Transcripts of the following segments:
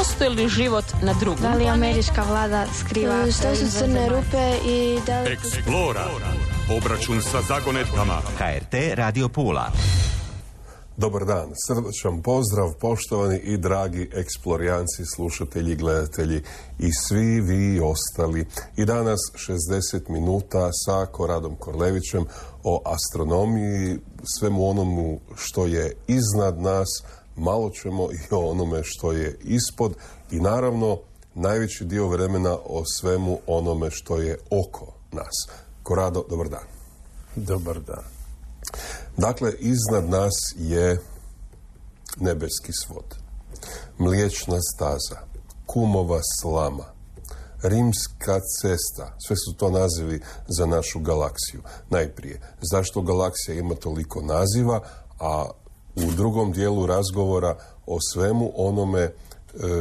postoji li život na drugom? Da li američka vlada skriva? Što su crne rupe i da li... Eksplora. Obračun sa zagonetkama. HRT Radio Pula. Dobar dan, srdačan pozdrav, poštovani i dragi eksplorijanci, slušatelji, gledatelji i svi vi ostali. I danas 60 minuta sa Koradom Korlevićem o astronomiji, svemu onomu što je iznad nas, malo ćemo i o onome što je ispod i naravno najveći dio vremena o svemu onome što je oko nas. Korado, dobar dan. Dobar dan. Dakle, iznad nas je nebeski svod, Mliječna staza, Kumova slama, Rimska cesta, sve su to nazivi za našu galaksiju. Najprije, zašto galaksija ima toliko naziva, a u drugom dijelu razgovora o svemu onome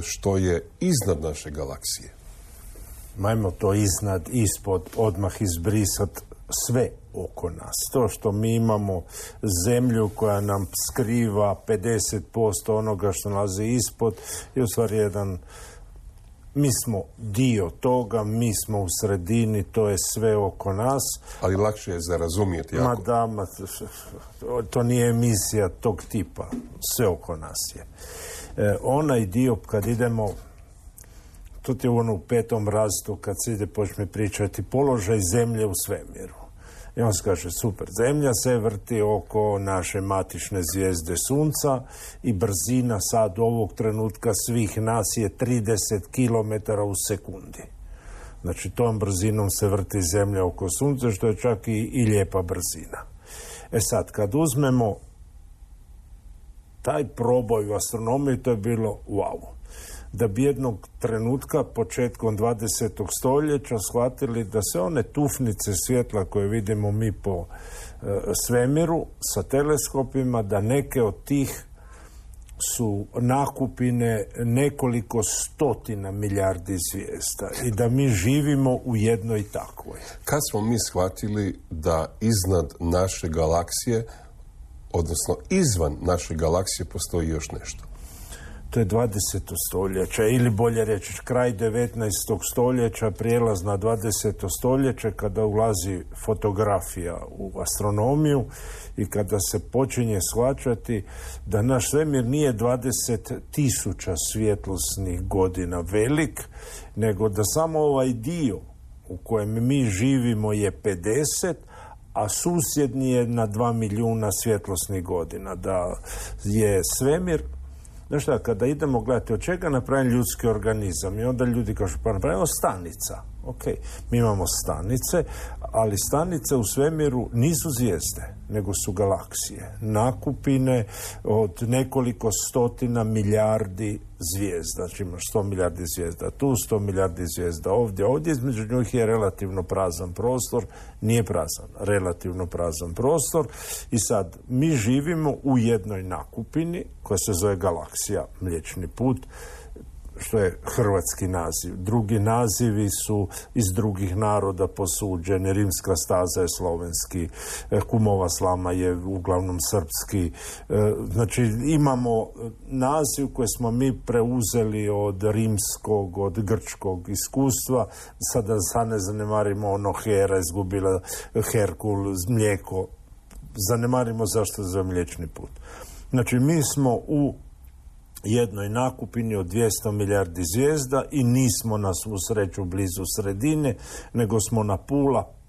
što je iznad naše galaksije. Majmo to iznad, ispod, odmah izbrisati sve oko nas. To što mi imamo zemlju koja nam skriva 50% onoga što nalazi ispod je u stvari mi smo dio toga, mi smo u sredini, to je sve oko nas. Ali lakše je za razumjeti. To nije emisija tog tipa. Sve oko nas je. Onaj dio kad idemo, to je ono u 5. razredu kad se ide počne pričati položaj zemlje u svemiru. I on se kaže, super, zemlja se vrti oko naše matične zvijezde Sunca i brzina sad ovog trenutka svih nas je 30 km u sekundi. Znači, tom brzinom se vrti zemlja oko Sunca, što je čak i lijepa brzina. E sad, kad uzmemo taj proboj u astronomiji, to je bilo wow. Da bi jednog trenutka, početkom 20. stoljeća, shvatili da se one tufnice svjetla koje vidimo mi po svemiru sa teleskopima, da neke od tih su nakupine nekoliko stotina milijardi zvijezda i da mi živimo u jednoj takvoj. Kad smo mi shvatili da iznad naše galaksije, odnosno izvan naše galaksije, postoji još nešto? To je 20. stoljeća, ili bolje reći kraj 19. stoljeća, prijelaz na 20. stoljeće, kada ulazi fotografija u astronomiju i kada se počinje shvaćati da naš svemir nije 20.000 svjetlosnih godina velik, nego da samo ovaj dio u kojem mi živimo je 50, a susjedni je na 2 milijuna svjetlosnih godina. Da je svemir, znaš šta, kada idemo gledati od čega napravim ljudski organizam i onda ljudi kažu, pa napravimo stanica. Ok, mi imamo stanice, ali stanice u svemiru nisu zvijezde, nego su galaksije. Nakupine od nekoliko stotina milijardi zvijezda. Znači imaš 100 milijardi zvijezda tu, 100 milijardi zvijezda ovdje. Ovdje između njih je relativno prazan prostor. Nije prazan, relativno prazan prostor. I sad, mi živimo u jednoj nakupini koja se zove galaksija, Mliječni put, što je hrvatski naziv. Drugi nazivi su iz drugih naroda posuđeni. Rimska staza je slovenski, Kumova slama je uglavnom srpski. Znači, imamo naziv koji smo mi preuzeli od rimskog, od grčkog iskustva. Sada ne zanemarimo ono Hera, izgubila Herkul, mlijeko. Zanemarimo zašto za Mliječni put. Znači, mi smo u jednoj nakupini od 200 milijardi zvijezda i nismo na svu sreću blizu sredine, nego smo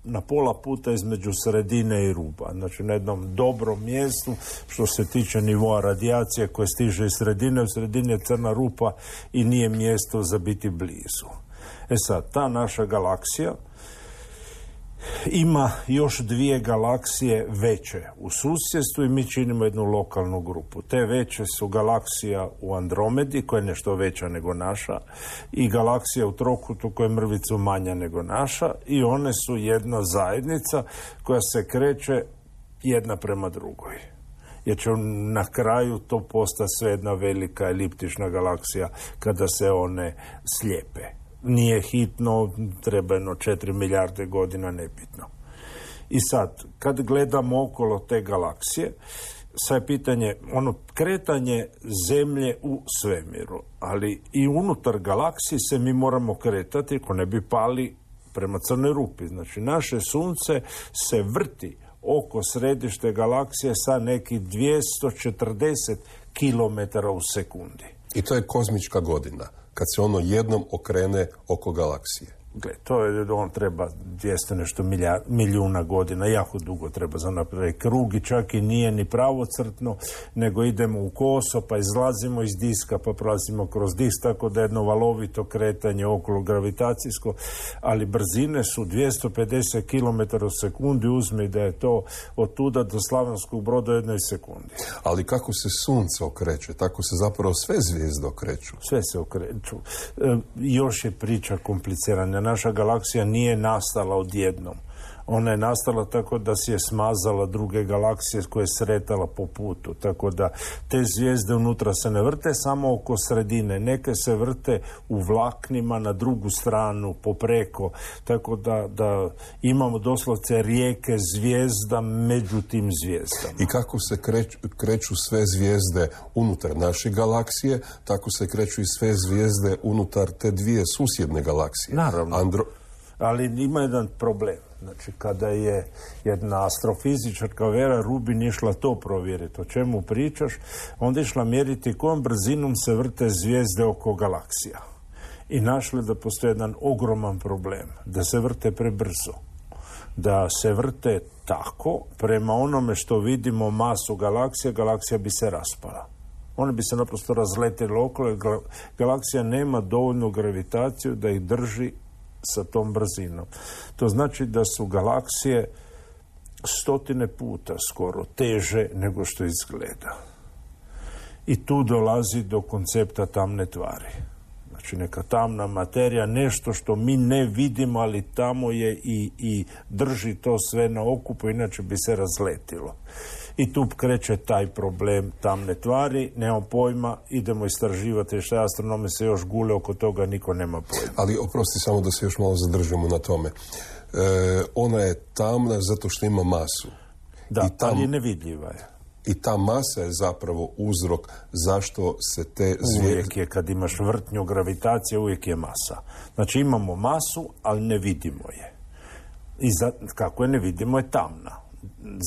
na pola puta između sredine i ruba. Znači na jednom dobrom mjestu što se tiče nivoa radijacije koje stiže iz sredine. U sredini je crna rupa i nije mjesto za biti blizu. E sad, ta naša galaksija ima još 2 galaksije veće u susjedstvu i mi činimo jednu lokalnu grupu. Te veće su galaksija u Andromedi, koja je nešto veća nego naša, i galaksija u Trokutu, koja je mrvicu manja nego naša, i one su jedna zajednica koja se kreće jedna prema drugoj. Jer će na kraju to postati sve jedna velika eliptična galaksija kada se one slijepe. Nije hitno, treba 4 milijarde godina, nebitno. I sad, kad gledamo okolo te galaksije, sad je pitanje, kretanje zemlje u svemiru, ali i unutar galaksije se mi moramo kretati ako ne bi pali prema crnoj rupi. Znači, naše sunce se vrti oko središte galaksije sa nekih 240 km u sekundi. I to je kozmička godina, kad se ono jednom okrene oko galaksije. Gle, on treba 200 nešto milijuna godina, jako dugo treba za napraviti krug i čak i nije ni pravocrtno, nego idemo u koso, pa izlazimo iz diska, pa prolazimo kroz disk, tako da je jedno valovito kretanje okolo gravitacijsko, ali brzine su 250 km u sekundi, uzmi da je to od tuda do Slavonskog Broda u jednoj sekundi. Ali kako se sunce okreće, tako se zapravo sve zvijezde okreću. Sve se okreću. Još je priča komplicirana. Naša galaksija nije nastala odjednom. Ona je nastala tako da si je smazala druge galaksije koje je sretala po putu. Tako da te zvijezde unutra se ne vrte samo oko sredine. Neke se vrte u vlaknima na drugu stranu, popreko. Tako da imamo doslovce rijeke zvijezda među tim zvijezdama. I kako se kreću sve zvijezde unutar naše galaksije, tako se kreću i sve zvijezde unutar te dvije susjedne galaksije. Naravno. Ali ima jedan problem. Znači, kada je jedna astrofizičarka Vera Rubin išla to provjeriti, o čemu pričaš, onda išla mjeriti kojom brzinom se vrte zvijezde oko galaksija. I našli da postoji jedan ogroman problem, da se vrte prebrzo. Da se vrte tako, prema onome što vidimo masu galaksije, galaksija bi se raspala. One bi se naprosto razletile okolo, jer galaksija nema dovoljnu gravitaciju da ih drži sa tom brzinom. To znači da su galaksije 100 puta skoro teže nego što izgleda. I tu dolazi do koncepta tamne tvari. Znači, neka tamna materija, nešto što mi ne vidimo, ali tamo je i drži to sve na okupu, inače bi se razletilo. I tu kreće taj problem tamne tvari, nemamo pojma, idemo istraživati što astronomi se još gule oko toga, niko nema pojma. Ali oprosti samo da se još malo zadržimo na tome. Ona je tamna zato što ima masu. Da, ali nevidljiva je. I ta masa je zapravo uzrok zašto se te zvijezde... Uvijek je, kad imaš vrtnju gravitacije, uvijek je masa. Znači, imamo masu, ali ne vidimo je. I kako je ne vidimo, je tamna.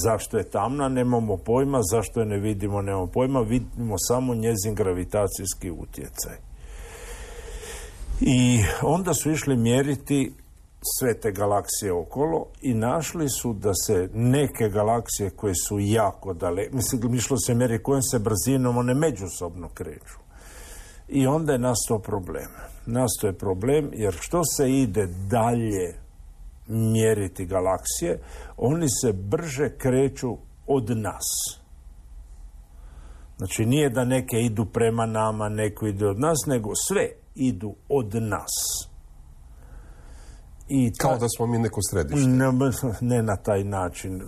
Zašto je tamna, nemamo pojma. Zašto je ne vidimo, nemamo pojma. Vidimo samo njezin gravitacijski utjecaj. I onda su išli mjeriti sve te galaksije okolo i našli su da se neke galaksije koje su jako daleko, išlo se mjeri kojom se brzinom one međusobno kreću. I onda je nastao problem. Nastao je problem jer što se ide dalje mjeriti galaksije, oni se brže kreću od nas. Znači, nije da neke idu prema nama, neko ide od nas, nego sve idu od nas. Kao da smo mi neko središte. Ne na taj način.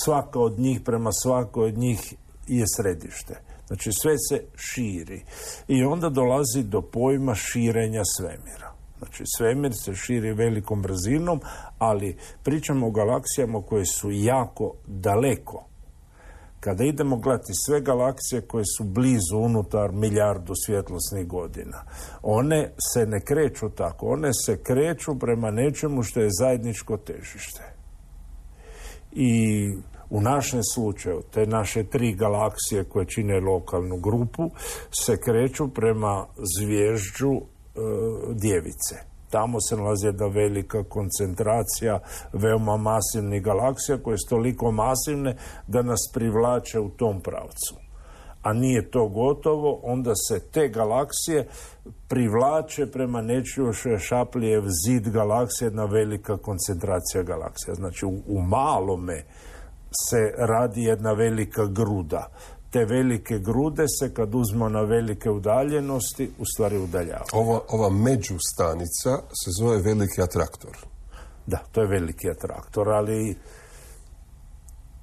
Svaka od njih prema svakoj od njih je središte. Znači, sve se širi. I onda dolazi do pojma širenja svemira. Znači, svemir se širi velikom brzinom, ali pričamo o galaksijama koje su jako daleko. Kada idemo gledati sve galaksije koje su blizu unutar milijardu svjetlosnih godina, one se ne kreću tako. One se kreću prema nečemu što je zajedničko težište. I u našem slučaju, te naše 3 galaksije koje čine lokalnu grupu, se kreću prema zvježđu Djevice. Tamo se nalazi jedna velika koncentracija veoma masivnih galaksija koje su toliko masivne da nas privlače u tom pravcu. A nije to gotovo, onda se te galaksije privlače prema nečiju što je Šaplijev zid galaksije, jedna velika koncentracija galaksija. Znači, u malome se radi jedna velika gruda. Te velike grude se, kad uzmo na velike udaljenosti, u stvari udaljavaju. Ova međustanica se zove veliki atraktor. Da, to je veliki atraktor, ali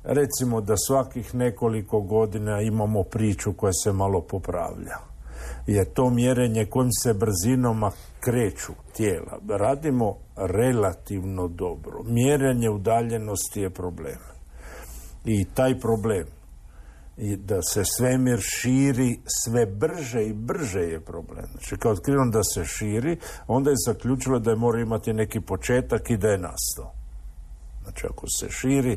recimo da svakih nekoliko godina imamo priču koja se malo popravlja. Je to mjerenje kojim se brzinama kreću tijela. Radimo relativno dobro. Mjerenje udaljenosti je problem. I taj problem i da se svemir širi sve brže i brže je problem. Znači, kad je otkriveno da se širi, onda je zaključilo da je mora imati neki početak i da je nastao. Znači, ako se širi,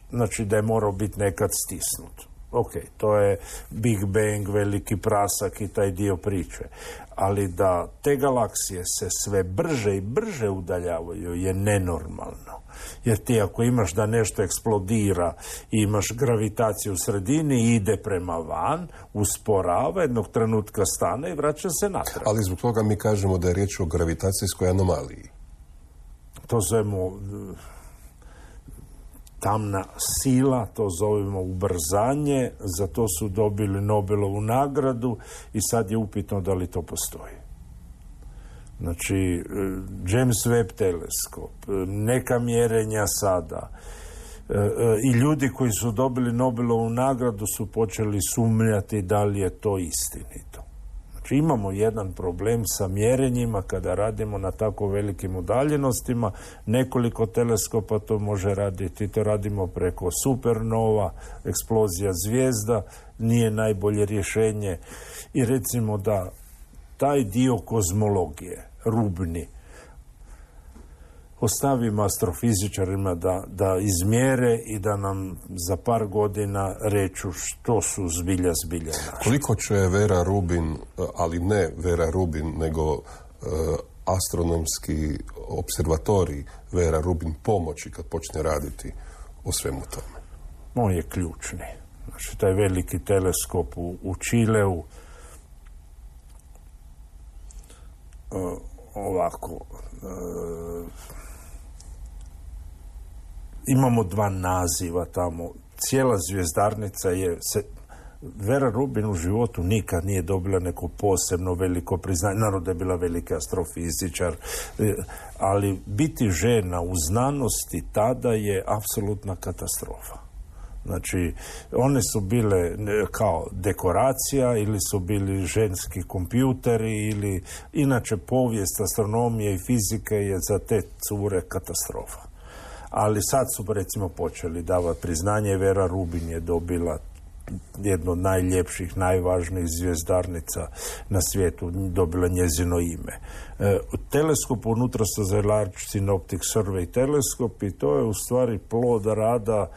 znači da je morao biti nekad stisnut. Ok, to je Big Bang, veliki prasak i taj dio priče. Ali da te galaksije se sve brže i brže udaljavaju je nenormalno. Jer ti ako imaš da nešto eksplodira i imaš gravitaciju u sredini i ide prema van, usporava, jednog trenutka stane i vraća se natrag. Ali zbog toga mi kažemo da je riječ o gravitacijskoj anomaliji. To zovemo tamna sila, to zovemo ubrzanje, za to su dobili Nobelovu nagradu i sad je upitno da li to postoji. Znači, James Webb teleskop, neka mjerenja sada i ljudi koji su dobili Nobelovu nagradu su počeli sumnjati da li je to istinito. Znači, imamo jedan problem sa mjerenjima kada radimo na tako velikim udaljenostima. Nekoliko teleskopa to može raditi. To radimo preko supernova, eksplozija zvijezda, nije najbolje rješenje. I recimo da taj dio kozmologije, rubni, ostavimo astrofizičarima da izmjere i da nam za par godina reču što su zbilja našli. Koliko će Vera Rubin, ali ne Vera Rubin, nego astronomski observatorij Vera Rubin pomoći kad počne raditi o svemu tome? On je ključni. Znači, taj veliki teleskop u Čileu, imamo dva naziva tamo. Cijela zvjezdarnica je... Vera Rubin u životu nikad nije dobila neko posebno veliko priznanje. Naravno da je bila veliki astrofizičar, ali biti žena u znanosti tada je apsolutna katastrofa. Znači, one su bile kao dekoracija ili su bili ženski kompjuteri ili... Inače, povijest astronomije i fizike je za te cure katastrofa. Ali sad su, recimo, počeli davati priznanje. Vera Rubin je dobila jedno od najljepših, najvažnijih zvjezdarnica na svijetu, dobila njezino ime. Teleskop unutra se zove Large Synoptic Survey teleskop i to je u stvari plod rada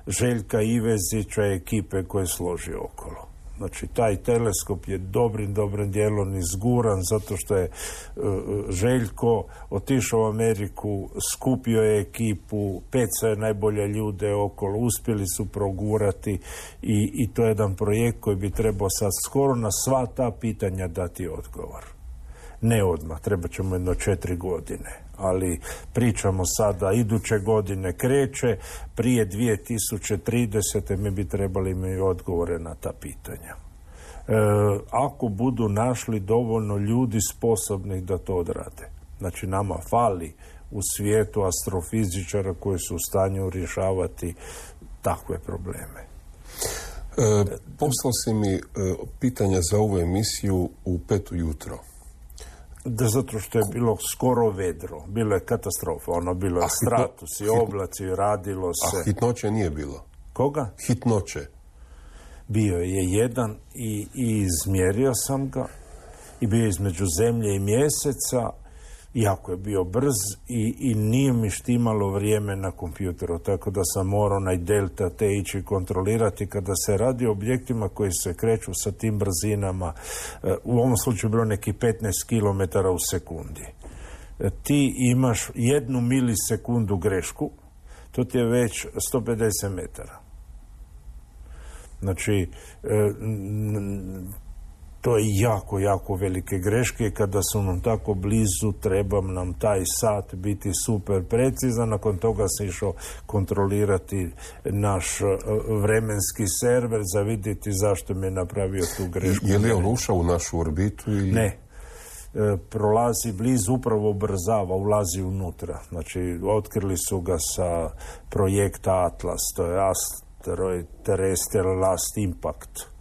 Željka Ivezića i ekipe koje složi okolo. Znači, taj teleskop je dobrim dijelom izguran zato što je Željko otišao u Ameriku, skupio je ekipu, pecao je najbolje ljude okolo, uspjeli su progurati i to je jedan projekt koji bi trebao sad skoro na sva ta pitanja dati odgovor. Ne odmah, treba ćemo 4 godine. Ali pričamo sada, iduće godine kreće, prije 2030. mi bi trebali imati odgovore na ta pitanja. Ako budu našli dovoljno ljudi sposobnih da to odrade. Znači, nama fali u svijetu astrofizičara koji su u stanju rješavati takve probleme. Poslao si mi pitanja za ovu emisiju u 5 ujutro. Da, zato što je bilo skoro vedro. Bilo je katastrofa. Bilo je stratus i oblaci, radilo se. A hitnoće nije bilo? Koga? Hitnoće. Bio je jedan i izmjerio sam ga. I bio je između zemlje i mjeseca. Jako je bio brz i nije mi štimalo vrijeme na kompjuteru. Tako da sam morao onaj delta T ići kontrolirati kada se radi o objektima koji se kreću sa tim brzinama. U ovom slučaju bilo neki 15 km u sekundi. Ti imaš 1 milisekundu grešku, to ti je već 150 metara. Znači, to je jako velike greške. Kada su nam tako blizu, treba nam taj sat biti super precizan. Nakon toga se išao kontrolirati naš vremenski server za vidjeti zašto mi je napravio tu grešku. Je li on ušao u našu orbitu? Ili... Ne. Prolazi blizu, upravo ubrzava, ulazi unutra. Znači, otkrili su ga sa projekta Atlas, to je Asteroid Terrestrial Last Impact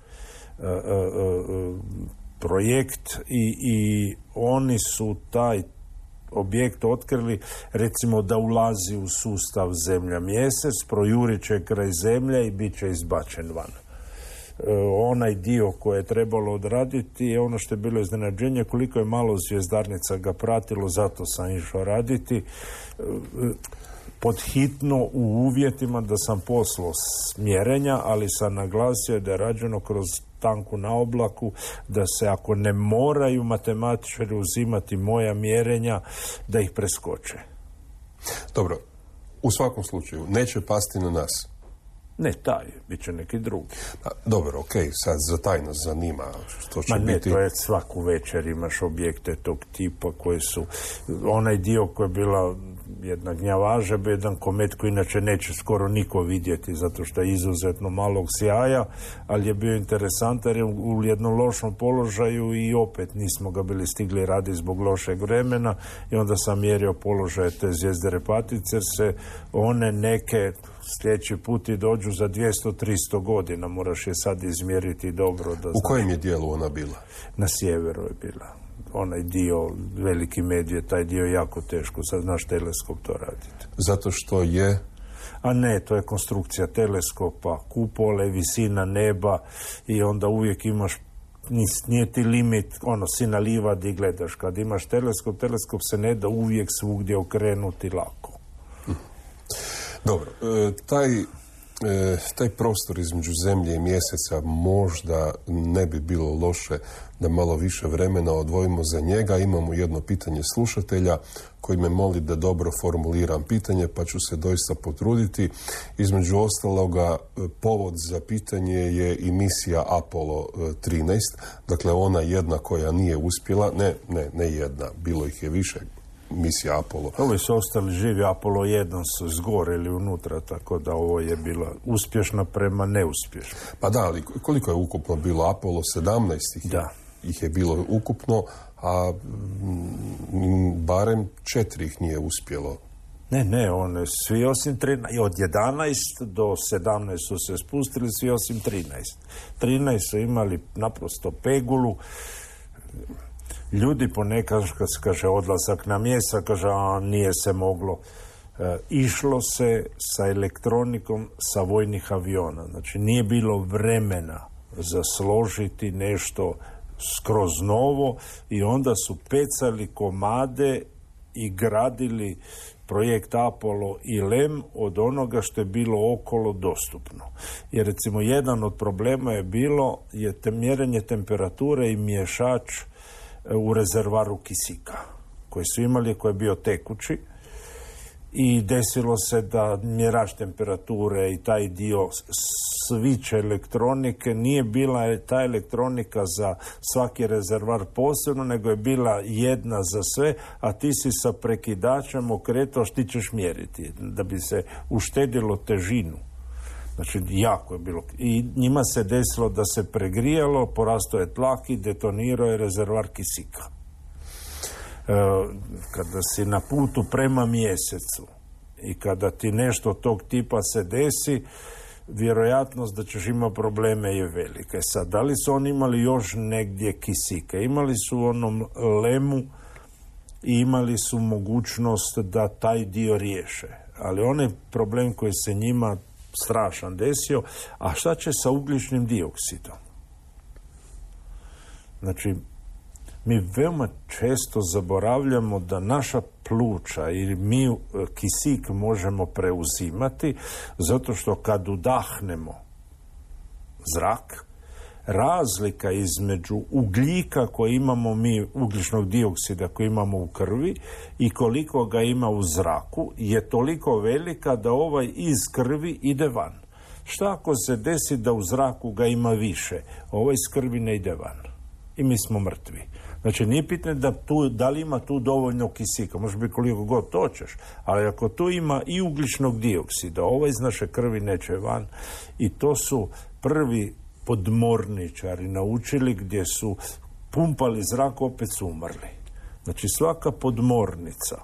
projekt i oni su taj objekt otkrili, recimo, da ulazi u sustav Zemlja-Mjesec, projurit će kraj Zemlje i bit će izbačen van. onaj dio koje je trebalo odraditi je ono što je bilo iznenađenje, koliko je malo zvjezdarnica ga pratilo, zato sam išao raditi pod hitno u uvjetima da sam poslao smjerenja, ali sam naglasio da je rađeno kroz tanku na oblaku, da se ako ne moraju matematičari uzimati moja mjerenja, da ih preskoče. Dobro, u svakom slučaju, neće pasti na nas. Ne taj, bit će neki drugi. Dobro, okej, sad za taj nas zanima što će biti. To je svaku večer imaš objekte tog tipa koji su, onaj dio koji je bila jedna gnjavaža, jedan komet koji inače neće skoro niko vidjeti zato što je izuzetno malog sjaja, ali je bio interesantan jer je u jednom lošom položaju i opet nismo ga bili stigli raditi zbog lošeg vremena i onda sam mjerio položaje te zvijezde Repatice jer se one neke sljedeći put i dođu za 200-300 godina, moraš je sad izmjeriti dobro. Da u kojem je dijelu ona bila? Na sjeveru je bila. Onaj dio, veliki medvjed, taj dio je jako teško, sad naš teleskop to raditi. Zato što je? A ne, to je konstrukcija teleskopa, kupole, visina neba i onda uvijek imaš, nije ti limit, si na livadi i gledaš. Kad imaš teleskop se ne da uvijek svugdje okrenuti lako. Dobro, taj prostor između zemlje i mjeseca možda ne bi bilo loše da malo više vremena odvojimo za njega. Imamo jedno pitanje slušatelja koji me moli da dobro formuliram pitanje, pa ću se doista potruditi. Između ostaloga, povod za pitanje je i misija Apollo 13, dakle ona jedna koja nije uspjela, ne jedna, bilo ih je više, misija Apollo. Ovi su ostali živi, Apollo 1 su izgoreli unutra, tako da ovo je bila uspješna prema neuspješna. Pa da, ali koliko je ukupno bilo Apollo? 17 ih je bilo ukupno, a barem 4 ih nije uspjelo. Ne, one svi osim 13, od 11 do 17 su se spustili, svi osim 13. 13 su imali naprosto pegulu. Ljudi ponekad, kad se kaže odlazak na mjesec, kaže, nije se moglo. Išlo se sa elektronikom sa vojnih aviona. Znači, nije bilo vremena za složiti nešto skroz novo i onda su pecali komade i gradili projekt Apollo i LEM od onoga što je bilo okolo dostupno. Jer recimo jedan od problema je bilo mjerenje temperature i miješač u rezervaru kisika koji su imali, koji je bio tekući i desilo se da mjerač temperature i taj dio sviće elektronike nije bila ta elektronika za svaki rezervar posebno, nego je bila jedna za sve, a ti si sa prekidačem okretao što ti ćeš mjeriti da bi se uštedilo težinu. Znači, jako je bilo. I njima se desilo da se pregrijalo, porastao je tlak i detonirao je rezervar kisika. Kada si na putu prema mjesecu i kada ti nešto tog tipa se desi, vjerojatnost da ćeš imati probleme je velika. Sad, da li su oni imali još negdje kisike? Imali su u onom LEM-u i imali su mogućnost da taj dio riješe. Ali onaj problem koji se njima strašan desio, a šta će sa ugljičnim dioksidom? Znači, mi veoma često zaboravljamo da naša pluća ili mi kisik možemo preuzimati zato što kad udahnemo zrak, razlika između ugljika koji imamo mi, ugljičnog dioksida koji imamo u krvi i koliko ga ima u zraku je toliko velika da ovaj iz krvi ide van. Šta ako se desi da u zraku ga ima više? Ovaj iz krvi ne ide van. I mi smo mrtvi. Znači, nije pitanje da li ima tu dovoljno kisika, može biti koliko god hoćeš, ali ako tu ima i ugljičnog dioksida, ovaj iz naše krvi neće van. I to su prvi podmorničari naučili gdje su pumpali zrak, opet su umrli. Znači, svaka podmornica,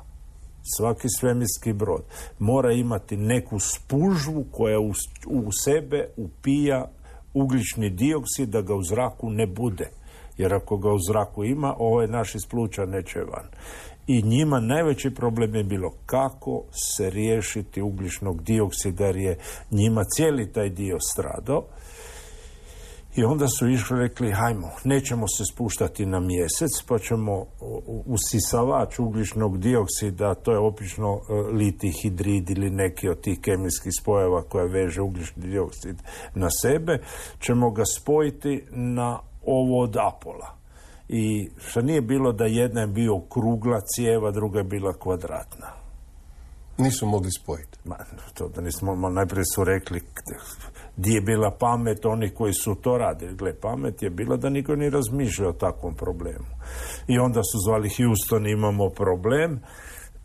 svaki svemirski brod mora imati neku spužvu koja u sebe upija ugljični dioksid da ga u zraku ne bude. Jer ako ga u zraku ima, ovaj naš iz pluća neće van. I njima najveći problem je bilo kako se riješiti ugljičnog dioksida, jer je njima cijeli taj dio stradao. I onda su išli, rekli, hajmo, nećemo se spuštati na mjesec, pa ćemo usisavač ugljičnog dioksida, to je obično litij hidrid ili neki od tih kemijskih spojeva koja veže ugljični dioksid na sebe, ćemo ga spojiti na ovo od Apola. I što nije bilo da jedna je bio krugla cijeva, druga je bila kvadratna. Nisu mogli spojiti. To da nismo, najprije su rekli di je bila pamet onih koji su to radili. Gle, pamet je bila da niko ne razmišlja o takvom problemu. I onda su zvali Houston, imamo problem.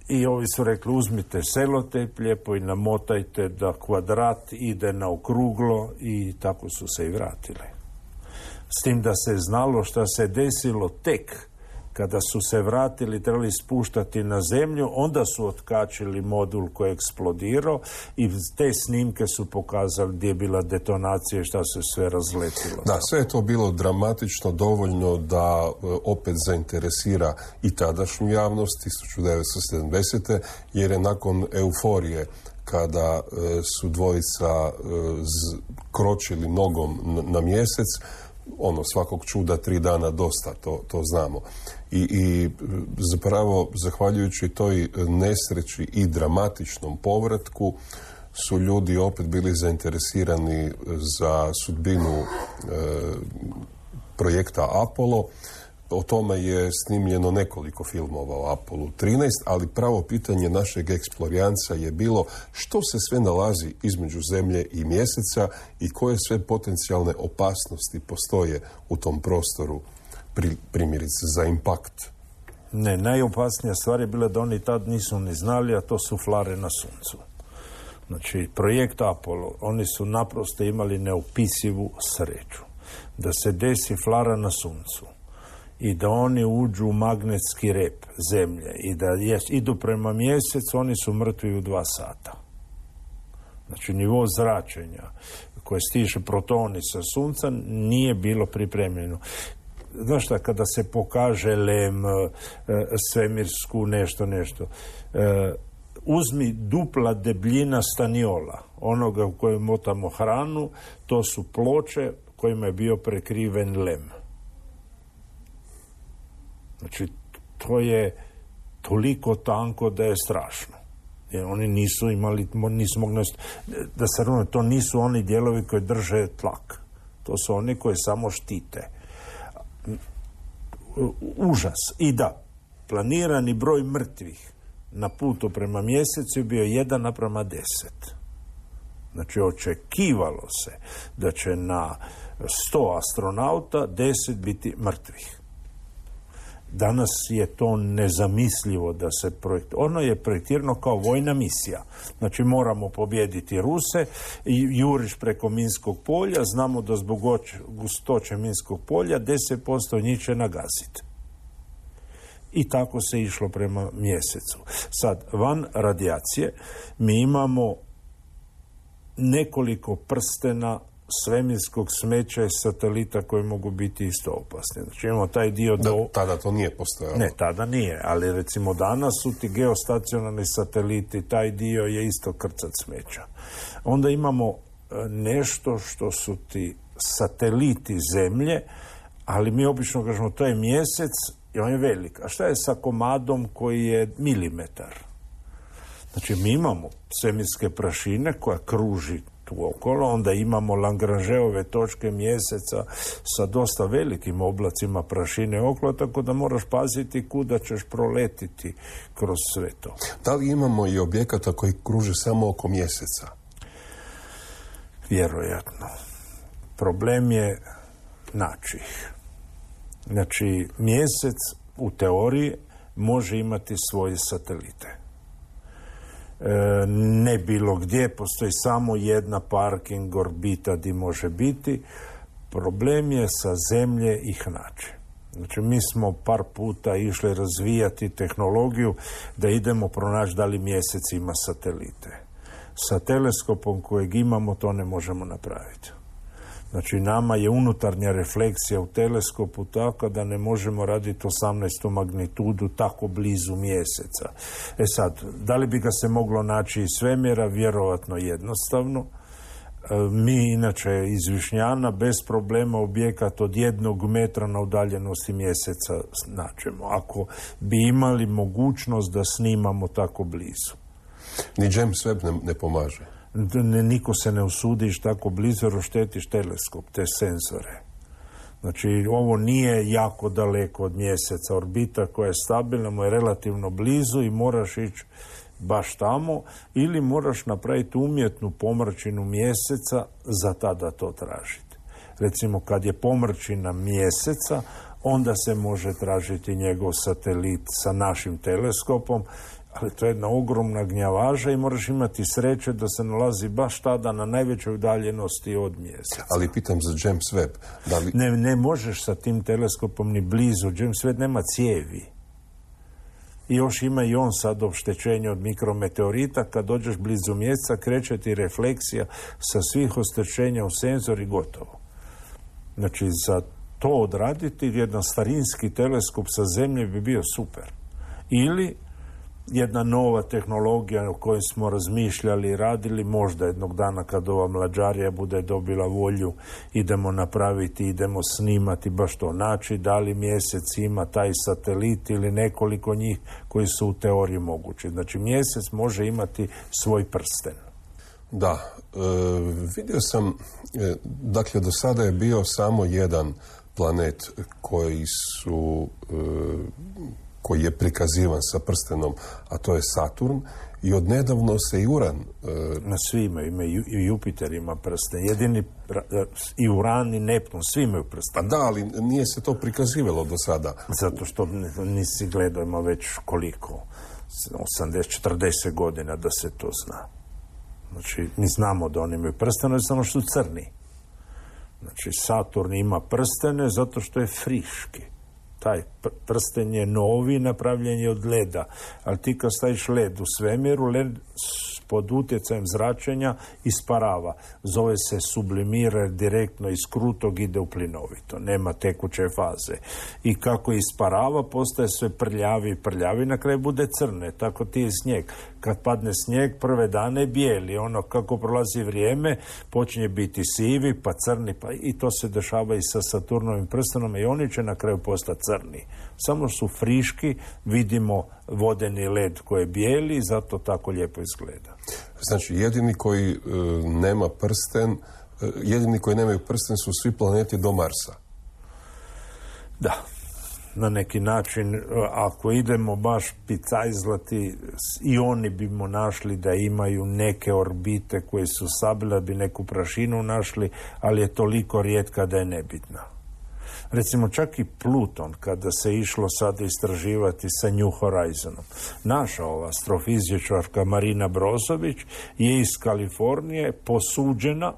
I ovi su rekli, uzmite selotejp lijepo i namotajte da kvadrat ide na okruglo i tako su se i vratili. S tim da se znalo šta se desilo tek kada su se vratili, trebali spuštati na zemlju, onda su otkačili modul koji je eksplodirao i te snimke su pokazali gdje je bila detonacija i šta se sve razletilo. Da, sve je to bilo dramatično dovoljno da opet zainteresira i tadašnju javnost 1970. jer je nakon euforije kada su dvojica kročili nogom na mjesec, svakog čuda 3 dana dosta, to znamo. I zapravo, zahvaljujući toj nesreći i dramatičnom povratku, su ljudi opet bili zainteresirani za sudbinu projekta Apollo. O tome je snimljeno nekoliko filmova o Apollo 13, ali pravo pitanje našeg eksplorijanca je bilo što se sve nalazi između Zemlje i Mjeseca i koje sve potencijalne opasnosti postoje u tom prostoru, primjerice za impakt. Ne, najopasnija stvar je bila da oni tad nisu ni znali, a to su flare na Suncu. Znači, projekt Apollo, oni su naprosto imali neopisivu sreću da se desi flara na Suncu i da oni uđu u magnetski rep Zemlje i da idu prema Mjesecu, oni su mrtvi u 2 sata. Znači, nivo zračenja koje stiže protoni sa Sunca nije bilo pripremljeno. Znaš šta, kada se pokaže lem, svemirsku, nešto, uzmi dupla debljina staniola, onoga u kojem motamo hranu, to su ploče kojima je bio prekriven lem. Znači, to je toliko tanko da je strašno. Jer oni nisu imali, nisu mogli, da se razumije, to nisu oni dijelovi koji drže tlak. To su oni koji samo štite. Užas. I da, planirani broj mrtvih na putu prema Mjesecu je bio 1:10. Znači, očekivalo se da će na 100 astronauta 10 biti mrtvih. Danas je to nezamislivo da se ono je projektirano kao vojna misija. Znači, moramo pobijediti Ruse i juriš preko minskog polja, znamo da zbog gustoće minskog polja 10% njih će nagaziti. I tako se išlo prema Mjesecu. Sad, van radijacije mi imamo nekoliko prstena svemirskog smeća i satelita koji mogu biti isto opasni. Znači, imamo taj dio tada to nije postojalo. Ne, tada nije, ali recimo danas su ti geostacionarni sateliti, taj dio je isto krcat smeća. Onda imamo nešto što su ti sateliti Zemlje, ali mi obično kažemo to je Mjesec i on je velik. A šta je sa komadom koji je milimetar? Znači, mi imamo svemirske prašine koja kruži tu okolo, onda imamo Lagrangeove točke Mjeseca sa dosta velikim oblacima prašine okolo, tako da moraš paziti kuda ćeš proletiti kroz sve to. Da li imamo i objekata koji kruže samo oko Mjeseca? Vjerojatno. Problem je naći ih. Znači, Mjesec u teoriji može imati svoje satelite. Ne bilo gdje, postoji samo jedna parking orbita gdje može biti. Problem je sa Zemlje ih naći. Znači, mi smo par puta išli razvijati tehnologiju da idemo pronaći da li Mjesec ima satelite. Sa teleskopom kojeg imamo to ne možemo napraviti. Znači, nama je unutarnja refleksija u teleskopu tako da ne možemo raditi 18. magnitudu tako blizu Mjeseca. Sad, da li bi ga se moglo naći iz svemira? Vjerovatno jednostavno, Mi inače iz Višnjana bez problema objekat od 1 metra na udaljenosti Mjeseca nađemo, ako bi imali mogućnost da snimamo tako blizu. Ni James Webb ne pomaže? Niko se ne usudiš tako blizu jer oštetiš teleskop, te senzore. Znači, ovo nije jako daleko od Mjeseca. Orbita koja je stabilna mu je relativno blizu i moraš ići baš tamo, ili moraš napraviti umjetnu pomrčinu Mjeseca za tada to tražiti. Recimo, kad je pomrčina Mjeseca, onda se može tražiti njegov satelit sa našim teleskopom, ali to je jedna ogromna gnjavaža i moraš imati sreće da se nalazi baš tada na najvećoj udaljenosti od Mjeseca. Ali pitam za James Webb. Da li... Ne možeš sa tim teleskopom ni blizu. James Webb nema cijevi. I još ima i on sad oštećenje od mikrometeorita. Kad dođeš blizu Mjeseca, kreće ti refleksija sa svih oštećenja u senzor i gotovo. Znači, za to odraditi jedan starinski teleskop sa Zemlje bi bio super. Ili jedna nova tehnologija o kojoj smo razmišljali i radili, možda jednog dana kad ova mlađarija bude dobila volju, idemo snimati baš to, naći da li Mjesec ima taj satelit ili nekoliko njih koji su u teoriji mogući. Znači, Mjesec može imati svoj prsten. Da, vidio sam, dakle, do sada je bio samo jedan planet koji je prikazivan sa prstenom, a to je Saturn, i odnedavno se i Uran... Na svi ima i Jupiter ima prsten. Jedini i Uran i Neptun, svi imaju prsten. Pa da, ali nije se to prikazivalo do sada. Zato što nisi gledao, ima već koliko? 80-40 godina da se to zna. Znači, mi znamo da oni imaju prstene, samo što su crni. Znači, Saturn ima prstene zato što je friški. Taj prsten je novi, napravljen je od leda. Ali ti kad staviš led u svemiru, led pod utjecajem zračenja isparava. Zove se sublimira, direktno iz krutog ide u plinovito. Nema tekuće faze. I kako isparava, postaje sve prljavi, na kraju bude crne. Tako ti je snijeg. Kad padne snijeg, prve dane je bijeli. Ono, kako prolazi vrijeme, počinje biti sivi, pa crni, pa i to se dešava i sa Saturnovim prstenom i oni će na kraju postati crni. Samo su friški, vidimo vodeni led koji je bijeli i zato tako lijepo izgleda. Znači, jedini koji nemaju prsten su svi planeti do Marsa. Da. Na neki način, ako idemo baš picajzlati, i oni bimo našli da imaju neke orbite koje su sabile, bi neku prašinu našli, ali je toliko rijetka da je nebitna. Recimo, čak i Pluton, kada se išlo sada istraživati sa New Horizonom, naša ova astrofizičarka Marina Brozović je iz Kalifornije posuđena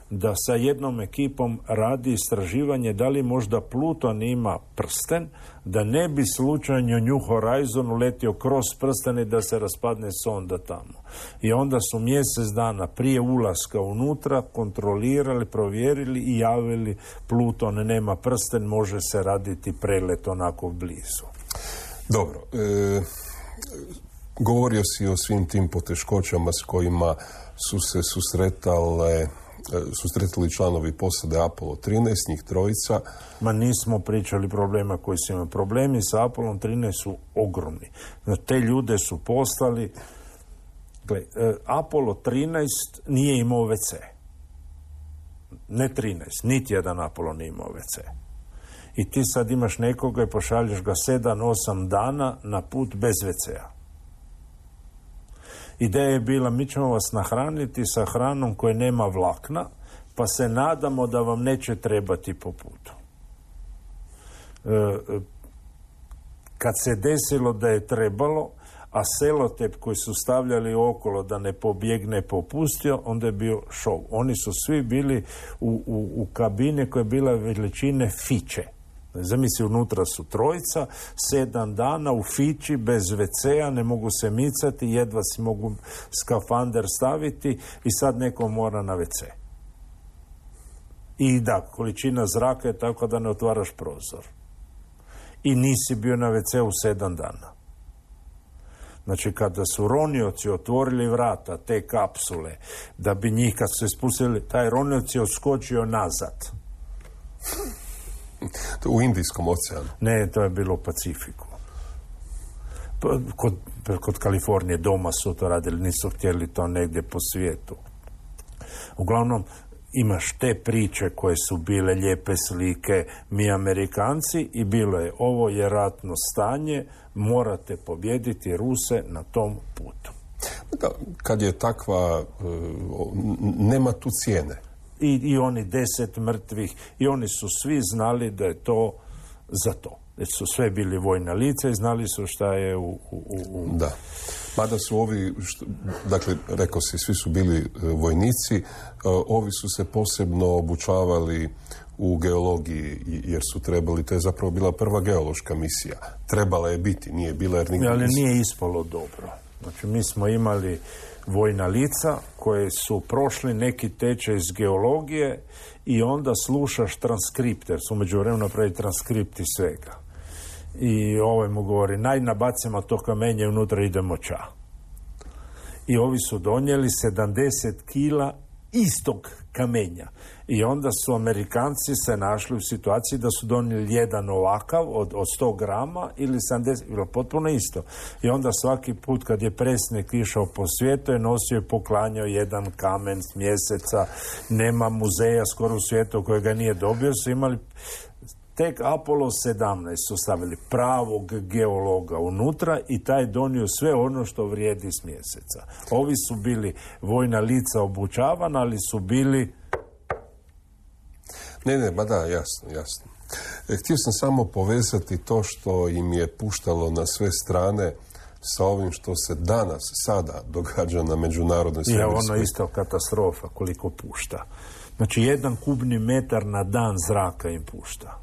da sa jednom ekipom radi istraživanje da li možda Pluton ima prsten, da ne bi slučajno New Horizon uletio kroz prsten i da se raspadne sonda tamo. I onda su mjesec dana prije ulaska unutra kontrolirali, provjerili i javili Pluton nema prsten, može se raditi prelet onako blizu. Dobro. Govorio si o svim tim poteškoćama s kojima su se susretali članovi posade Apollo 13, njih trojica. Ma nismo pričali problema koji su imali. Problemi sa Apollom 13 su ogromni. Te ljude su poslali. Apollo 13 nije imao WC. Ne 13, niti jedan Apollo nije imao WC. I ti sad imaš nekoga i pošalješ ga 7-8 dana na put bez WC-a. Ideja je bila, mi ćemo vas nahraniti sa hranom koja nema vlakna, pa se nadamo da vam neće trebati po putu. Kad se desilo da je trebalo, a selotep koji su stavljali okolo da ne pobjegne popustio, onda je bio šov. Oni su svi bili u kabine koja je bila veličine fiće. Zamisli, unutra su trojica, 7 dana u fići, bez WC-a, ne mogu se micati, jedva si mogu skafander staviti i sad neko mora na WC. I da, količina zraka je tako da ne otvaraš prozor. I nisi bio na WC-u 7 dana. Znači, kada su ronioci otvorili vrata te kapsule, da bi njih, kad su se spustili, taj ronioc je odskočio nazad. U Indijskom oceanu? Ne, to je bilo u Pacifiku. Kod Kalifornije doma su to radili, nisu htjeli to negdje po svijetu. Uglavnom, imaš te priče koje su bile lijepe slike, mi Amerikanci, i bilo je, ovo je ratno stanje, morate pobijediti Ruse na tom putu. Da, kad je takva, nema tu cijene. I oni 10 mrtvih, i oni su svi znali da je to za to. Jer su sve bili vojna lica i znali su šta je Da. Mada su ovi, dakle, rekao si, svi su bili vojnici, ovi su se posebno obučavali u geologiji, jer su trebali, to je zapravo bila prva geološka misija. Trebala je biti, nije bila jer nigdje... Ali nije ispalo dobro. Znači, mi smo imali vojna lica koje su prošli neki tečaj iz geologije i onda slušaš transkripte, jer su među vremenu napravili transkripti svega. I ovaj mu govori, nabacimo to kamenje, unutra idemo ča. I ovi su donijeli 70 kila istog kamenja. I onda su Amerikanci se našli u situaciji da su donijeli jedan ovakav od 100 grama ili 70, bilo potpuno isto. I onda svaki put kad je predsjednik išao po svijetu je nosio i poklanjao jedan kamen s Mjeseca. Nema muzeja skoro u svijetu kojega nije dobio, su imali... Tek Apollo 17 su stavili pravog geologa unutra i taj donio sve ono što vrijedi s Mjeseca. Ovi su bili vojna lica obučavana, ali su bili... Ne, ba da, jasno. Htio sam samo povezati to što im je puštalo na sve strane sa ovim što se danas, sada događa na međunarodnoj svemirskoj. Je ono isto katastrofa koliko pušta. Znači, 1 kubni metar na dan zraka im pušta.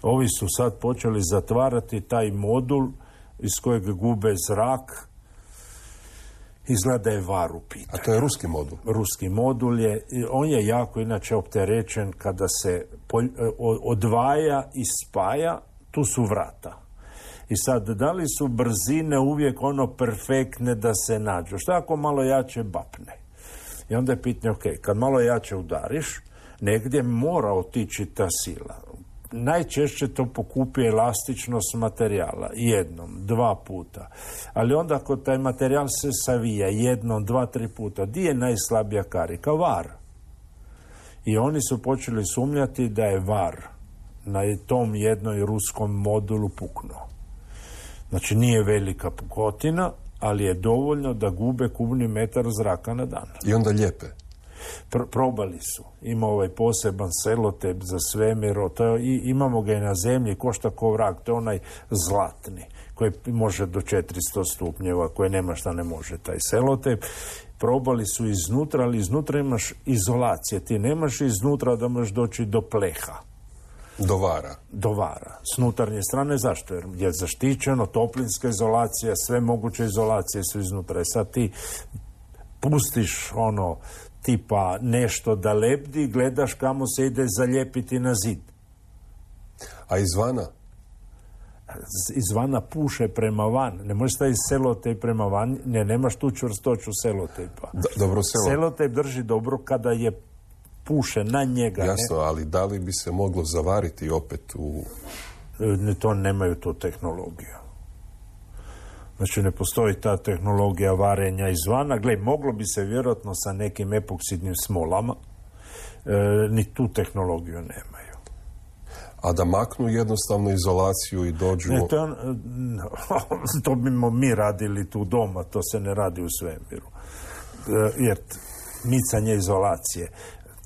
Ovi su sad počeli zatvarati taj modul iz kojeg gube zrak. Izgleda je var u pitanju. A to je ruski modul? Ruski modul je, on je jako inače opterećen kada se odvaja i spaja, tu su vrata. I sad, da li su brzine uvijek ono perfektne da se nađu? Šta ako malo jače bapne? I onda je pitanje, ok, kad malo jače udariš, negdje mora otići ta sila. Najčešće to pokupi elastičnost materijala, 1, 2 puta. Ali onda ako taj materijal se savija 1, 2, 3 puta, di je najslabija karika? Var. I oni su počeli sumnjati da je var na tom jednoj ruskom modulu puknuo. Znači, nije velika pukotina, ali je dovoljno da gube kubni metar zraka na dan. I onda lijepe. Probali su. Ima ovaj poseban selotep za svemir, imamo ga i na zemlji, košta ko vrag, to je onaj zlatni, koji može do 400 stupnjeva, koji nema šta ne može, taj selotep. Probali su iznutra, ali iznutra imaš izolacije. Ti nemaš iznutra da možeš doći do pleha. Do vara. S unutarnje strane, zašto? Jer je zaštićeno, toplinska izolacija, sve moguće izolacije su iznutra. Sad ti pustiš ono tipa nešto da lebdi, gledaš kamo se ide zalijepiti na zid. A izvana? Izvana puše prema van. Ne možeš staviti selotejp prema van, nemaš tu čvrstoću selotejpa. Dobro, selotejp drži dobro kada je puše na njega. Jasno, ali da li bi se moglo zavariti opet u... To nemaju tu tehnologiju. Znači, ne postoji ta tehnologija varenja izvana. Gle, moglo bi se vjerojatno sa nekim epoksidnim smolama. Ni tu tehnologiju nemaju. A da maknu jednostavno izolaciju i dođu... To bimo mi radili tu doma, to se ne radi u svemiru. Jer micanje izolacije,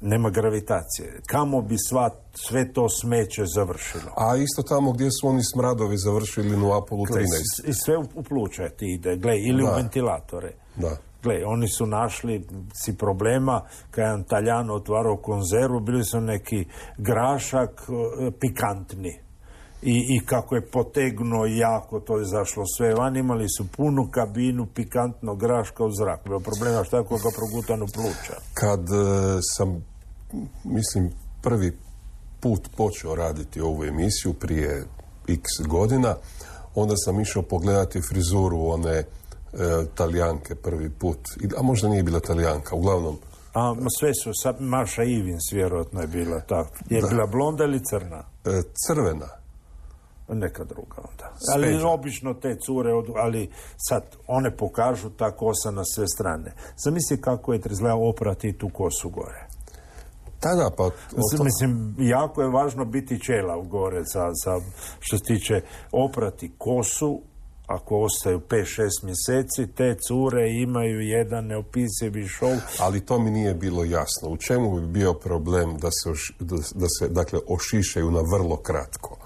nema gravitacije. Kamo bi sve to smeće završilo? A isto tamo gdje su oni smradovi završili u Apollo 13. I sve u pluća ti ide, ili u ventilatore. Da. Gle, oni su našli problema, kad je Taljano otvarao konzervu, bili su neki grašak pikantni. I kako je potegnuo jako, to je zašlo sve van, imali su punu kabinu pikantnog graška u zrak. Bilo problema šta ako ga progutanu pluća. Kad sam, mislim, prvi put počeo raditi ovu emisiju prije x godina, onda sam išao pogledati frizuru one Talijanke prvi put, a možda nije bila Talijanka, uglavnom. Sve su, Maša Ivins vjerojatno je bila tako. Je bila blonda ili crna? Crvena. Neka druga onda. Ali obično te cure, ali sad one pokažu ta kosa na sve strane. Zamisli kako je izgledao oprati tu kosu gore. Tada, pa... Mislim, jako je važno biti čela gore za što se tiče oprati kosu. Ako ostaju 5-6 mjeseci, te cure imaju jedan neopisivi šov. Ali to mi nije bilo jasno. U čemu bi bio problem da se dakle, ošišaju na vrlo kratko?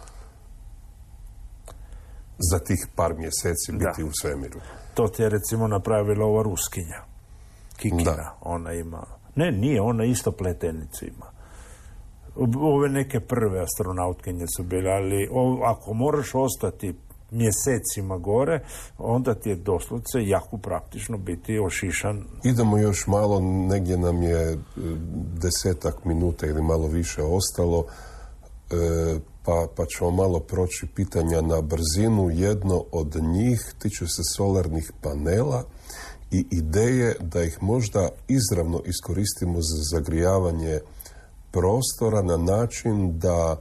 Za tih par mjeseci biti u svemiru. To ti je recimo napravila ova Ruskinja. Kikina. Da. Ona ima... Ne, nije, ona isto pletenicu ima. Ove neke prve astronautkinje su bile, ali ako moraš ostati mjesecima gore, onda ti je doslovce jako praktično biti ošišan. Idemo još malo, negdje nam je 10 minuta ili malo više ostalo, pa ćemo malo proći pitanja na brzinu. Jedno od njih tiče se solarnih panela i ideje da ih možda izravno iskoristimo za zagrijavanje prostora na način da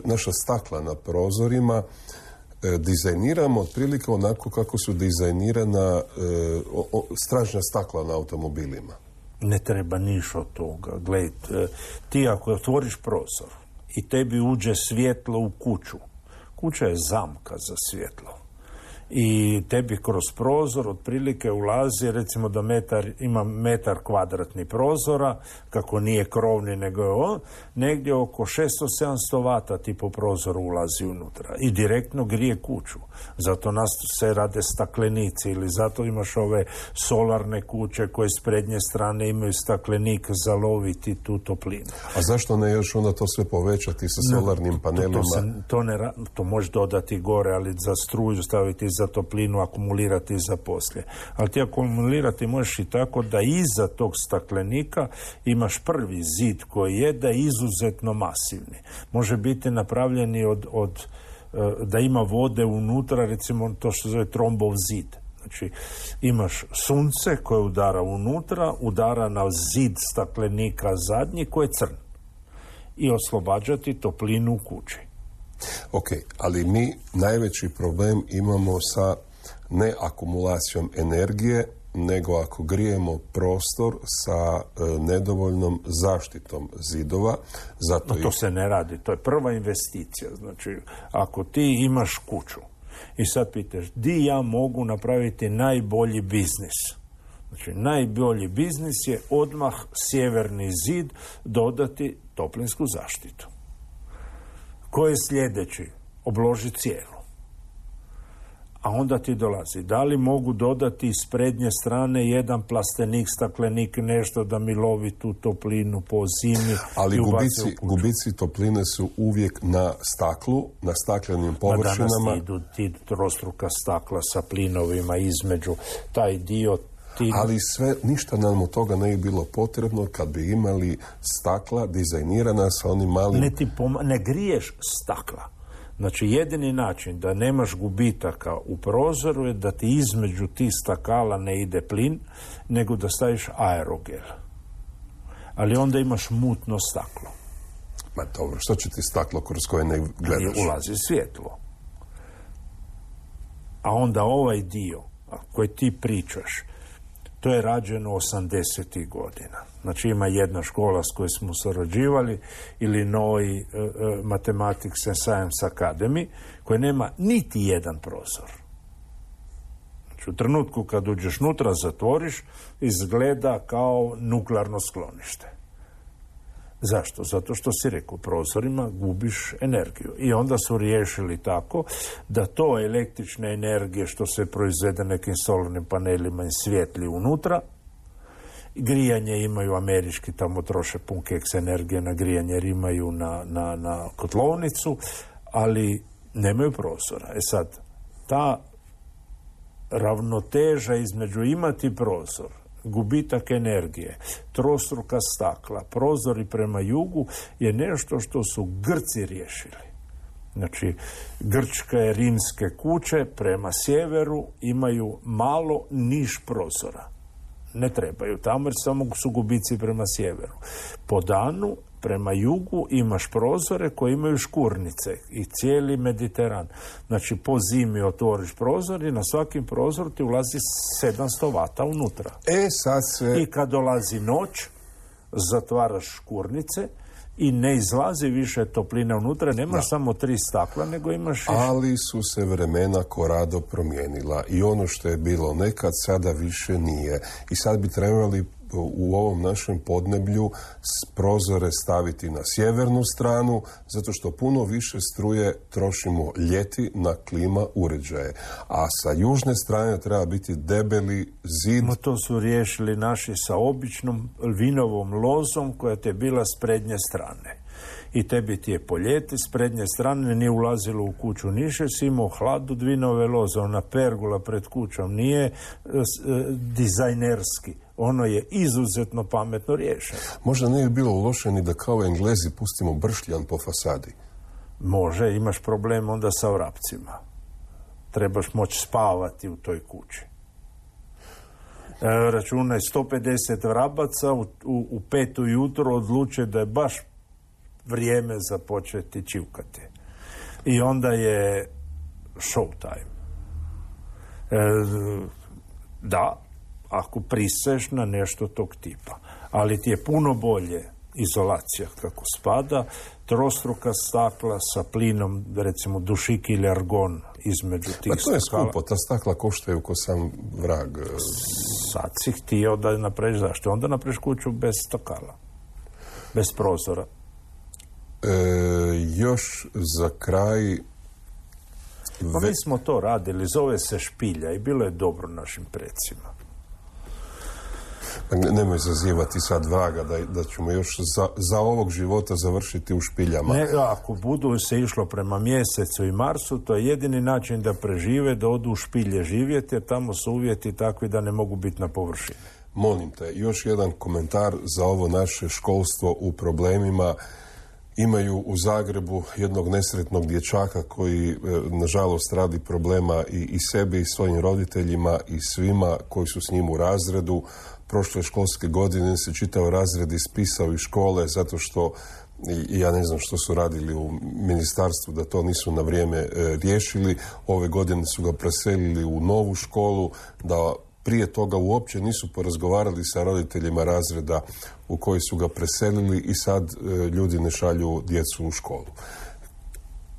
naša stakla na prozorima dizajniramo otprilike onako kako su dizajnirana stražnja stakla na automobilima. Ne treba niš od toga. Gled, ti ako otvoriš prozor i tebi uđe svjetlo u kuću, kuća je zamka za svjetlo. I tebi kroz prozor otprilike ulazi, recimo da ima metar kvadratni prozora, kako nije krovni nego je on, negdje oko 600-700 vata ti po prozoru ulazi unutra i direktno grije kuću. Zato nas se rade staklenici ili zato imaš ove solarne kuće koje s prednje strane imaju staklenik za loviti tu toplinu. A zašto ne još onda to sve povećati sa solarnim panelima? To možeš dodati gore, ali za struju staviti za toplinu, akumulirati za poslije. Ali ti akumulirati možeš i tako da iza tog staklenika imaš prvi zid koji je da je izuzetno masivni. Može biti napravljeni da ima vode unutra, recimo to što se zove trombov zid. Znači, imaš sunce koje udara unutra, udara na zid staklenika zadnji koji je crn. I oslobađati toplinu u kući. Ok, ali mi najveći problem imamo sa ne akumulacijom energije, nego ako grijemo prostor sa nedovoljnom zaštitom zidova. Zato to se ne radi, to je prva investicija. Znači, ako ti imaš kuću i sad pitaš, di ja mogu napraviti najbolji biznis? Znači, najbolji biznis je odmah sjeverni zid dodati toplinsku zaštitu. Ko je sljedeći? Obloži cijelu. A onda ti dolazi. Da li mogu dodati s prednje strane jedan plastenik, staklenik, nešto da mi lovi tu toplinu po zimi? Ali gubici topline su uvijek na staklu, na staklenim površinama. Danas idu ti trostruka stakla sa plinovima između taj dio. Ali ništa nam od toga ne bi bilo potrebno kad bi imali stakla dizajnirana sa onim malim... Ne griješ stakla. Znači, jedini način da nemaš gubitaka u prozoru je da ti između tih stakala ne ide plin, nego da staviš aerogel. Ali onda imaš mutno staklo. Ma dobro, što će ti staklo kroz koje ne gledaš? Ulazi svjetlo. A onda ovaj dio koji ti pričaš, to je rađeno 80. godina. Znači, ima jedna škola s kojoj smo surađivali, Illinois Mathematics and Science Academy, koja nema niti jedan prozor. Znači, u trenutku kad uđeš nutra, zatvoriš, izgleda kao nuklearno sklonište. Zašto? Zato što si rekao, prozorima gubiš energiju. I onda su riješili tako da to električne energije što se proizvede nekim solarnim panelima i svijetli unutra, grijanje imaju američki, tamo troše pun keks energije na grijanje jer imaju na kotlovnicu, ali nemaju prozora. Sad, ta ravnoteža između imati prozor, gubitak energije, trostruka stakla, prozori prema jugu je nešto što su Grci riješili. Znači, grčke, rimske kuće prema sjeveru imaju malo niš prozora. Ne trebaju tamo jer samo su gubici prema sjeveru. Po danu, prema jugu imaš prozore koji imaju škurnice i cijeli Mediteran. Znači, po zimi otvoriš prozor i na svakim prozoru ti ulazi 700 vata unutra. I kad dolazi noć, zatvaraš škurnice i ne izlazi više topline unutra, nemaš samo 3 stakla, nego imaš... Ali su se vremena korado promijenila i ono što je bilo nekad sada više nije. I sad bi trebali u ovom našem podneblju prozore staviti na sjevernu stranu, zato što puno više struje trošimo ljeti na klima uređaje. A sa južne strane treba biti debeli zid. No, to su riješili naši sa običnom vinovom lozom koja te je bila s prednje strane. I tebi ti je po ljeti s prednje strane nije ulazilo u kuću niše, si imao hladu vinove loze, ona pergula pred kućom nije dizajnerski. Ono je izuzetno pametno riješeno. Možda ne bi bilo loše ni da kao Englezi pustimo bršljan po fasadi. Može, imaš problem onda sa vrapcima. Trebaš moći spavati u toj kući. Računaj 150 vrabaca u 5 ujutro odluče da je baš vrijeme za početi čivkati. I onda je show time. Da, ako priseš na nešto tog tipa. Ali ti je puno bolje izolacija kako spada, trostruka stakla sa plinom, recimo dušik ili argon između tih stakala. Pa to je skupo, ta stakla koštaju ko sam vrag. Sad si htio da napraviš zašto? Onda napraviš kuću bez stakala, bez prozora. Još za kraj... Pa mi smo to radili, zove se špilja i bilo je dobro našim predsima. Nemoj zazivati sad vraga da ćemo još za ovog života završiti u špiljama. Ne, ako budu se išlo prema Mjesecu i Marsu, to je jedini način da prežive, da odu u špilje živjeti, jer tamo su uvjeti takvi da ne mogu biti na površini. Molim te, još jedan komentar za ovo naše školstvo u problemima. Imaju u Zagrebu jednog nesretnog dječaka koji, nažalost, radi problema i sebi i svojim roditeljima i svima koji su s njim u razredu. Prošle školske godine se čitao razred ispisao iz škole zato što, ja ne znam što su radili u ministarstvu da to nisu na vrijeme riješili. Ove godine su ga preselili u novu školu, da prije toga uopće nisu porazgovarali sa roditeljima razreda u koji su ga preselili i sad ljudi ne šalju djecu u školu.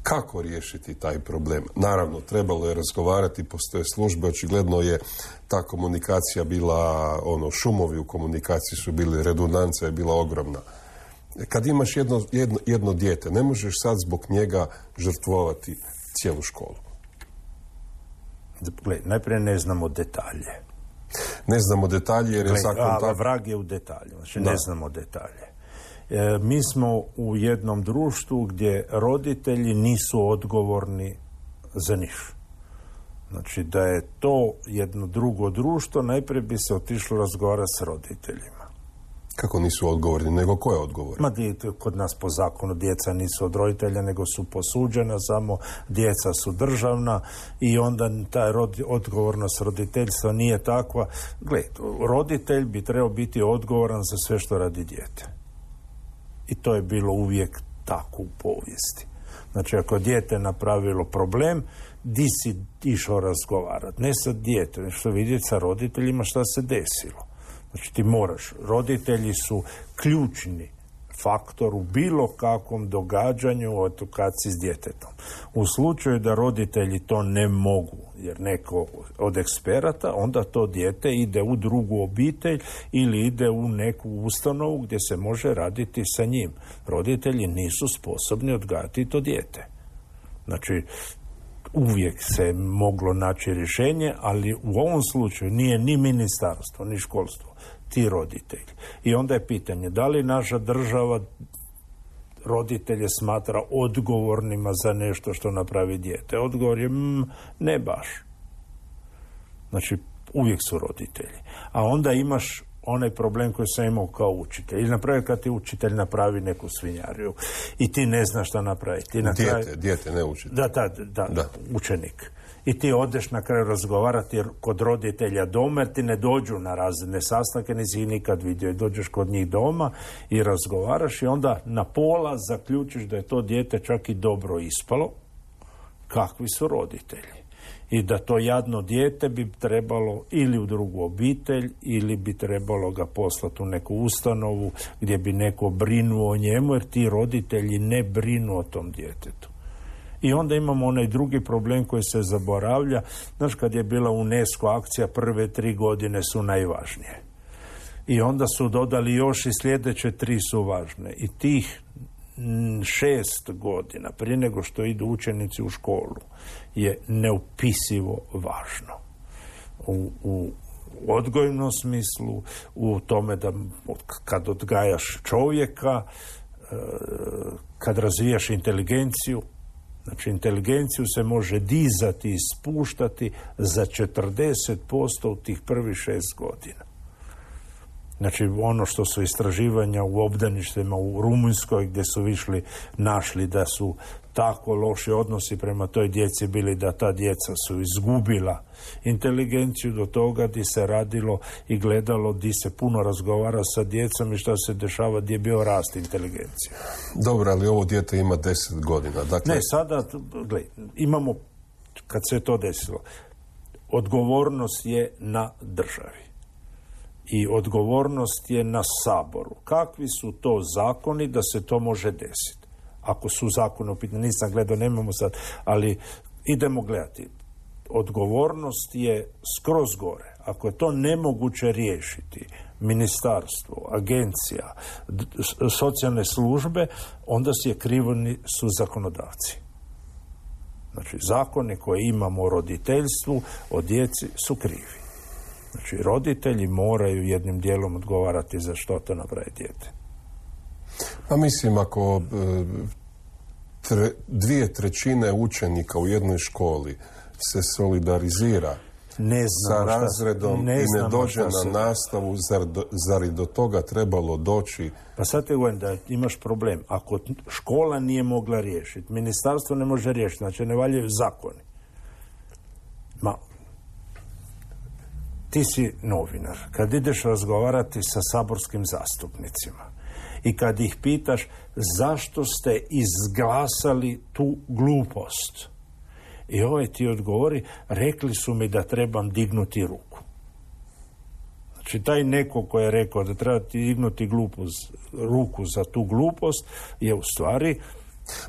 Kako riješiti taj problem? Naravno, trebalo je razgovarati, postoje službe, očigledno je ta komunikacija bila, šumovi u komunikaciji su bili, redundancija je bila ogromna. Kad imaš jedno dijete, ne možeš sad zbog njega žrtvovati cijelu školu. Najprije ne znamo detalje. Ne znamo detalje jer je zakon... Vrag je u detalju, znači ne znamo detalje. Mi smo u jednom društvu gdje roditelji nisu odgovorni za niš. Znači da je to jedno drugo društvo, najprije bi se otišlo razgovarati s roditeljima. Kako nisu odgovorni, nego ko je odgovoran? Kod nas po zakonu djeca nisu od roditelja, nego su posuđena, samo djeca su državna i onda ta odgovornost roditeljstva nije takva. Roditelj bi trebao biti odgovoran za sve što radi dijete. I to je bilo uvijek tako u povijesti. Znači, ako dijete napravilo problem, di si išao razgovarati? Ne sa djetetom, što vidjeti sa roditeljima šta se desilo. Znači, ti moraš. Roditelji su ključni faktor u bilo kakvom događanju u edukaciji s djetetom. U slučaju da roditelji to ne mogu, jer neko od eksperata, onda to dijete ide u drugu obitelj ili ide u neku ustanovu gdje se može raditi sa njim. Roditelji nisu sposobni odgajati to dijete. Znači, uvijek se moglo naći rješenje, ali u ovom slučaju nije ni ministarstvo, ni školstvo, ti roditelji. I onda je pitanje, da li naša država roditelje smatra odgovornima za nešto što napravi dijete? Odgovor je ne baš. Znači, uvijek su roditelji. A onda imaš onaj problem koji sam imao kao učitelj. Ili napravi kad ti učitelj napravi neku svinjariju i ti ne znaš šta napraviti. Dijete, ne učitelj. Da, učenik. I ti odeš na kraju razgovarati kod roditelja doma, jer ti ne dođu na razne sastanke, nisi ih nikad vidio. I dođeš kod njih doma i razgovaraš i onda na pola zaključiš da je to dijete čak i dobro ispalo. Kakvi su roditelji? I da to jadno dijete bi trebalo ili u drugu obitelj ili bi trebalo ga poslati u neku ustanovu gdje bi neko brinuo o njemu, jer ti roditelji ne brinu o tom djetetu. I onda imamo onaj drugi problem koji se zaboravlja. Znaš, kad je bila UNESCO akcija, prve 3 godine su najvažnije. I onda su dodali još i sljedeće 3 su važne. I tih 6 godina prije nego što idu učenici u školu je neopisivo važno. U odgojnom smislu, u tome da kad odgajaš čovjeka, kad razvijaš inteligenciju. Znači, inteligenciju se može dizati i spuštati za 40% u tih prvih 6 godina. Znači, ono što su istraživanja u obdaništima u Rumunjskoj, gdje su našli da su tako loši odnosi prema toj djeci bili da ta djeca su izgubila inteligenciju, do toga di se radilo i gledalo, di se puno razgovara sa djecom i šta se dešava, gdje je bio rast inteligencije. Dobro, ali ovo dijete ima 10 godina. Dakle... Ne, sada, imamo, kad se to desilo, odgovornost je na državi. I odgovornost je na Saboru. Kakvi su to zakoni da se to može desiti? Ako su zakoni u pitanju, nisam gledao, nemamo sad, ali idemo gledati. Odgovornost je skroz gore. Ako je to nemoguće riješiti, ministarstvo, agencija, socijalne službe, onda krivni su zakonodavci. Znači, zakone koje imamo o roditeljstvu, o djeci su krivi. Znači, roditelji moraju jednim dijelom odgovarati za što to napravi dijete. Pa mislim, ako 2/3 učenika u jednoj školi se solidarizira sa razredom i ne dođe na nastavu, zar i do toga trebalo doći? Pa sad te govorim da imaš problem. Ako škola nije mogla riješiti, ministarstvo ne može riješiti, znači ne valjaju zakoni. Ti si novinar. Kad ideš razgovarati sa saborskim zastupnicima i kad ih pitaš zašto ste izglasali tu glupost, i ovaj ti odgovori, rekli su mi da trebam dignuti ruku. Znači, taj neko ko je rekao da treba ti dignuti ruku za tu glupost je u stvari...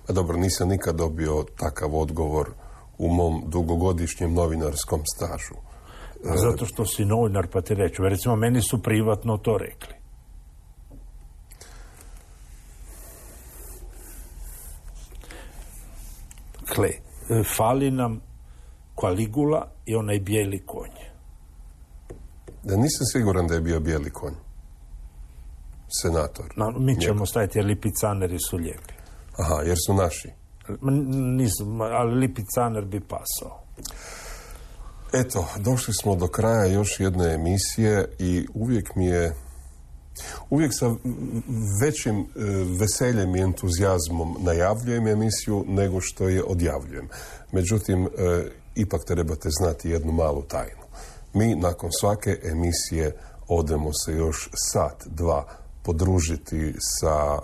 Pa dobro, nisam nikad dobio takav odgovor u mom dugogodišnjem novinarskom stažu. Zato što si novinar, pa ti reću. Recimo, meni su privatno to rekli. Dakle, fali nam Kaligula i onaj bijeli konj. Da, nisam siguran da je bio bijeli konj. Senator. Mi ćemo staviti, jer lipicaneri su lijepi. Aha, jer su naši. Nisu, ali lipicaner bi pasao. Eto, došli smo do kraja još jedne emisije i uvijek sa većim veseljem i entuzijazmom najavljujem emisiju nego što je odjavljujem. Međutim, ipak trebate znati jednu malu tajnu. Mi nakon svake emisije odemo se još 1-2 podružiti sa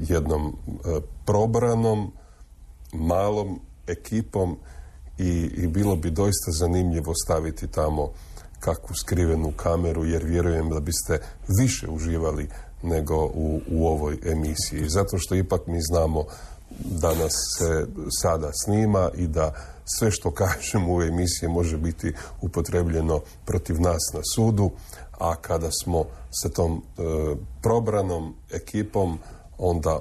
jednom probranom, malom ekipom i bilo bi doista zanimljivo staviti tamo kakvu skrivenu kameru, jer vjerujem da biste više uživali nego u ovoj emisiji. Zato što ipak mi znamo da nas se sada snima i da sve što kažemo u emisiji može biti upotrebljeno protiv nas na sudu, a kada smo sa tom probranom ekipom,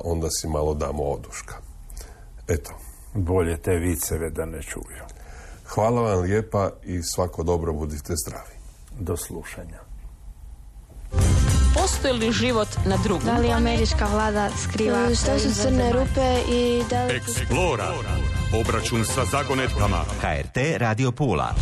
onda si malo damo oduška. Eto. Bolje te viceve da ne čuju. Hvala vam lijepa i svako dobro, budite zdravi. Do slušanja. Postoji li život na drugom? Da li američka vlada skriva? Što su crne rupe i da li... Explora. Obračun sa zagonetkama. HRT Radio Pula.